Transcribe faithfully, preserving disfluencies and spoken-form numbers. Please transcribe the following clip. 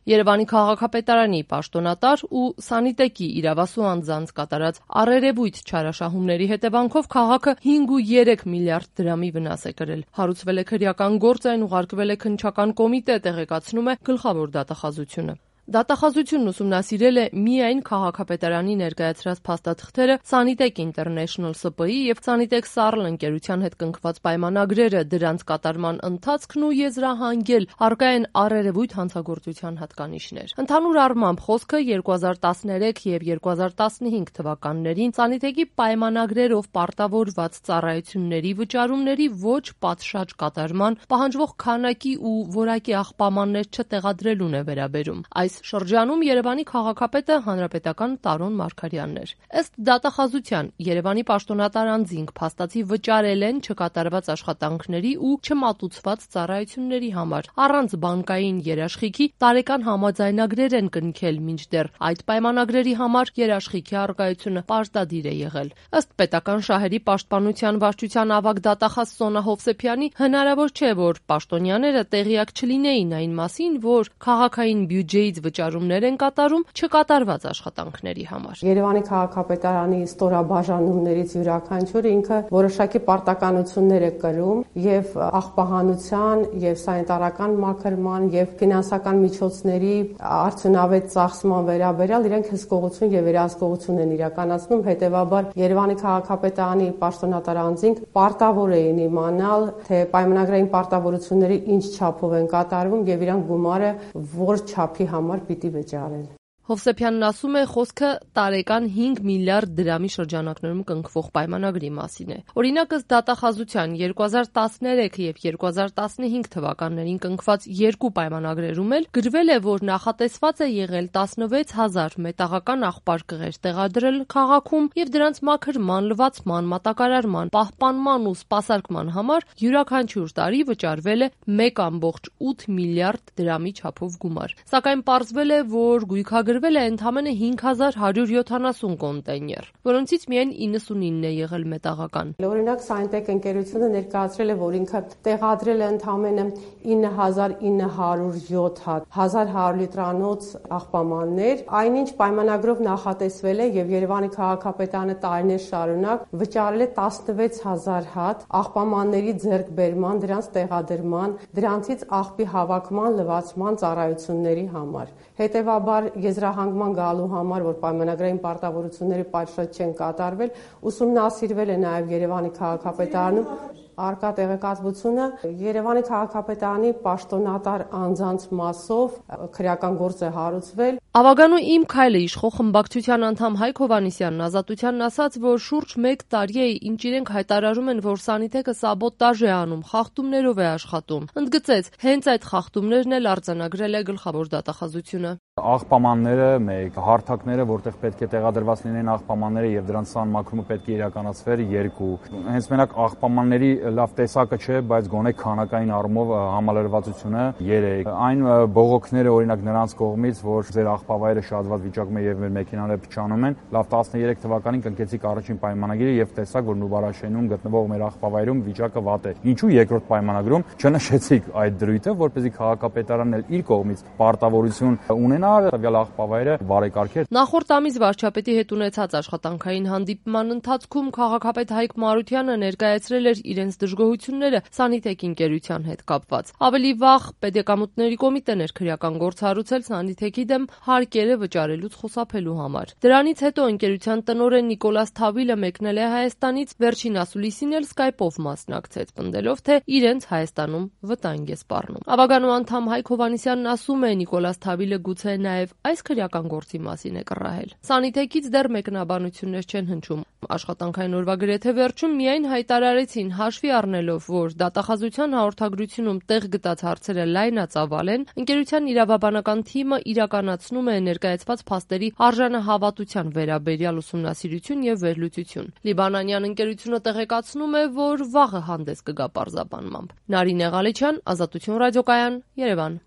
Երևանի քաղաքապետարանի պաշտոնատար ու Սանիտեկի իրավասու անձանց կատարած առերևույթ չարաշահումների հետևանքով քաղաքը հինգ ու երեք միլիարդ դրամի վնաս է կրել։ Հարուցվել է քրեական գործ, այն ուղարկվել է քննչական կոմիտե, տեղեկացնում է գլխավոր դատախազությունը։ Դատախազությունն ուսումնասիրել է միայն քաղաքապետարանի ներկայացրած փաստաթղթերը, Sanitec International Սի Պի և Sanitec Sarl ընկերության հետ կնքված պայմանագրերը, դրանց կատարման ընթացքն ու եզրահանգել առկա են առերևույթ հանցագործության հատկանիշներ։ Ընդհանուր առմամբ խոսքը երկու հազար տասներեք և երկու հազար տասնհինգ թվականներին Sanitec-ի պայմանագրերով պարտավորված ծառայությունների վճարումների ոչ պատշաճ կատարման, պահանջվող քանակի ու որակի աղբամաններ չտեղադրելուն է վերաբերում։ Այս շրջանում Երևանի քաղաքապետը հանրապետական Տարոն Մարգարյանն էր։ Ըստ դատախազության Երևանի պաշտոնատար անձինք փաստացի վճարել են չկատարված աշխատանքների ու չմատուցված ծառայությունների համար, առանց բանկային երաշխիքի տարեկան համաձայնագրեր են կնքել, մինչդեռ այդ պայմանագրերի համար երաշխիքի առկայությունը պարտադիր է եղել։ Ըստ պետական շահերի պաշտպանության վարչության ավագ դատախազ Սոնա Հովսեփյանի, հնարավոր չէ, որ պաշտոնյաները տեղյակ չլինեին այն մասին, որ քաղաքային բյուջեից վճարումներ են կատարում չկատարված աշխատանքների համար։ Երևանի քաղաքապետարանի ստորաբաժանումներից յուրաքանչյուրը ինքը որոշակի պարտականություններ է կրում եւ աղբահանության եւ սանիտարական մաքրման եւ ֆինանսական միջոցների արդյունավետ ծախսման վերաբերյալ իրենք հսկողություն եւ վերահսկողություն են իրականացնում, հետեւաբար Երևանի քաղաքապետարանի պաշտոնատար անձինք պարտավոր էին իմանալ, թե պայմանագրային պարտավորությունները ինչ չափով են կատարվում եւ իրանք գումարը որ չափի համար պիտի վճարեն։ Հովսեփյանն ասում է, խոսքը տարեկան հինգ միլիարդ դրամի շրջանակներում կնքվող պայմանագրի մասին է։ Օրինակ, ըստ դատախազության երկու հազար տասներեք և երկու հազար տասնհինգ թվականներին կնքված երկու պայմանագրերում էլ գրվել է, որ նախատեսված է եղել տասնվեց հազար մետաղական աղբարկղեր տեղադրել քաղաքում և դրանց մաքրման, լվացման, մատակարարման, պահպանման ու սպասարկման համար յուրաքանչյուր տարի վճարվել է մեկ ամբողջ ութ միլիարդ դրամի չափով գումար։ Սակայն պարզվել է, որ գույքագրվել Գրվել է ընդամենը հինգ հազար հարյուր յոթանասուն կոնտեյներ, որոնցից միայն իննսունինն է եղել մետաղական։ Օրինակ Sanitec ընկերությունը ներկայացրել է, որ ինքը տեղադրել է ընդամենը ինը հազար ինը հարյուր յոթ հատ հազար հարյուր լիտրանոց աղբամաններ, այնինչ պայմանագրով նախատեսվել է եւ Երևանի քաղաքապետարանը տարիներ շարունակ վճարել է տասնվեց հազար հատ աղբամանների ձեռքբերման, դրանց տեղադրման, դրանցից աղբի հավաքման, լվացման ծառայությունների համար։ Հետևաբար եզրահանգման գալու համար, որ պայմանագրային պարտավորությունների պատշաճ չեն կատարվել, ուսումնասիրվել է նաև Երևանի քաղաքապետարանում առկա տեղեկատվությունը Երևանի քաղաքապետարանի պաշտոնատար անձանց մասով քրեական գործ է հարուցվել։ Ավագանու իմ քայլը իշխող խմբակցության անդամ Հայկ Հովհաննիսյանն Ազատությանն ասաց, որ շուրջ մեկ տարի է, ինչ իրենք հայտարարում են, որ Sanitec-ը սաբոտաժ է անում, խախտումներով է աշխատում։ Ընդգծեց, հենց այդ խախտումներն էլ արձանագրել է գլխավոր դատախազությունը։ Աղբամանները մեկ, հարթակները, որտեղ պետք է տեղադրված լինեն աղբամանները եւ դրանց սահմանումը պետք է իրականացվեր երկու։ Հենց մենակ աղբամանների լավ տեսակը չէ, բայց գոնե քանակային առումով համալրվածությունը երեք։ Այն բողոքները օրինակ նրանց կողմից, որ ձեր աղբավայրը շատված վիճակում է եւ մեր մեքենաները փչանում են, լավ տասներեք թվականին կնքեցիք առաջին պայմանագիրը եւ տեսակ, որ Նուբարաշենում գտնվող մեր աղբավայրում վիճակը վատ է։ Ինչու երկրորդ պայմանագրում չնշեցիք այդ դրույթը, որպեսզի քաղաքապետարանն էլ իր կողմից պարտավորություն ունենա տվյալ աղբավայրը բարեկարգել։ Նախորդ ամիս վարչապետի հետ ունեցած աշխատանքային հանդիպման ընթացքում քաղաքապետ Հայկ Մարությանը ներկայացրել էր իրենց դժգոհությունները Sanitec ընկերության հետ կապված։ Ավելի վաղ Պետեկամուտների կոմիտեն էր քրեական գործ հարուցել Sanitec-ի դեմ հարկերը վճարելուց խուսափելու համար։ Դրանից հետո ընկերության տնօրեն Նիկոլաս Թավիլը մեկնել է Հայաստանից, վերջին ասուլիսին էլ Skype-ով մասնակցեց, պնդելով, թե իրենց Հայաստանում վտանգ է սպառնում։ Ավագանու անդամ Հայկ Հովհաննիսյանն ասում է, Նիկոլաս Թավիլը գուցե նաև այս քրեական գործի մասին է կռահել։ Sanitec-ից դեռ մեկնաբանություններ չեն հնչում։ Աշխատանքային օրվա գրեթե վերջում միայն հայտարարեցին, հաշվի առնելով, որ դատախազության հաղորդագրությունում տեղ գտած հարցերը լայնածավալ են, ընկերության իրավաբանական թիմը իրականացնում է ներկայացված փաստերի արժանահավատության վերաբերյալ ուսումնասիրություն եւ վերլուծություն։ Լիբանանյան ընկերությունը տեղեկացնում է, որ վաղը հանդես կգա պարզաբանմամբ։ Նարինե Ղալեչյան, Ազատություն ռադիոկայան, Երևան։